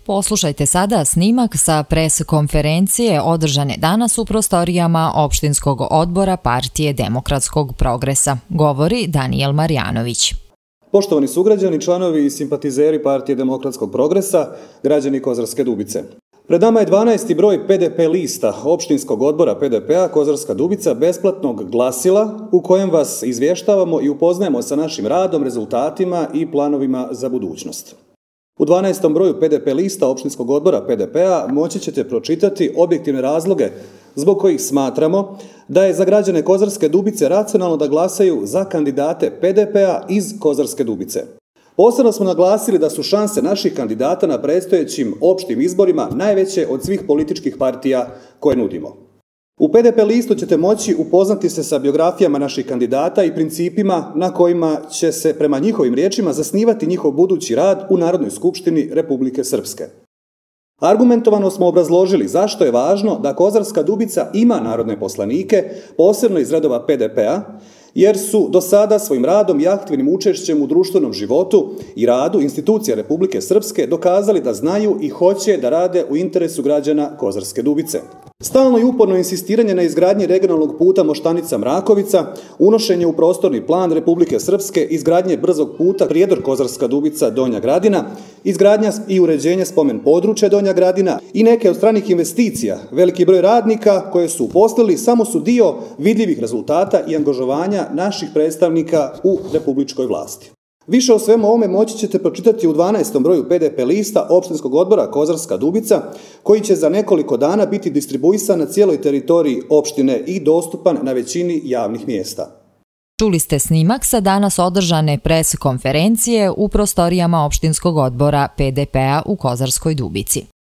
Poslušajte sada snimak sa pres konferencije održane danas u prostorijama opštinskog odbora Partije demokratskog progresa. Govori Danijel Marjanović. Poštovani sugrađani, članovi i simpatizeri Partije demokratskog progresa, građani Kozarske Dubice. Pred nama je 12. broj PDP lista opštinskog odbora PDP-a Kozarska Dubica besplatnog glasila u kojem vas izvještavamo i upoznajemo sa našim radom, rezultatima i planovima za budućnost. U 12. broju PDP lista opštinskog odbora PDP-a moći ćete pročitati objektivne razloge zbog kojih smatramo da je za građane Kozarske Dubice racionalno da glasaju za kandidate PDP-a iz Kozarske Dubice. Posebno smo naglasili da su šanse naših kandidata na predstojećim opštim izborima najveće od svih političkih partija koje nudimo. U PDP listu ćete moći upoznati se sa biografijama naših kandidata i principima na kojima će se prema njihovim riječima zasnivati njihov budući rad u Narodnoj skupštini Republike Srpske. Argumentovano smo obrazložili zašto je važno da Kozarska Dubica ima narodne poslanike, posebno iz redova PDP-a, jer su do sada svojim radom i aktivnim učešćem u društvenom životu i radu institucija Republike Srpske dokazali da znaju i hoće da rade u interesu građana Kozarske Dubice. Stalno i uporno insistiranje na izgradnji regionalnog puta Moštanica-Mrakovica, unošenje u prostorni plan Republike Srpske, izgradnje brzog puta Prijedor-Kozarska Dubica-Donja Gradina, izgradnja i uređenje spomen područja Donja Gradina i neke od stranih investicija, veliki broj radnika koje su uposlili samo su dio vidljivih rezultata i angažovanja naših predstavnika u republičkoj vlasti. Više o svemu ovome moći ćete pročitati u 12. broju PDP lista opštinskog odbora Kozarska Dubica, koji će za nekoliko dana biti distribuisan na cijeloj teritoriji opštine i dostupan na većini javnih mjesta. Čuli ste snimak sa danas održane pres konferencije u prostorijama opštinskog odbora PDP-a u Kozarskoj Dubici.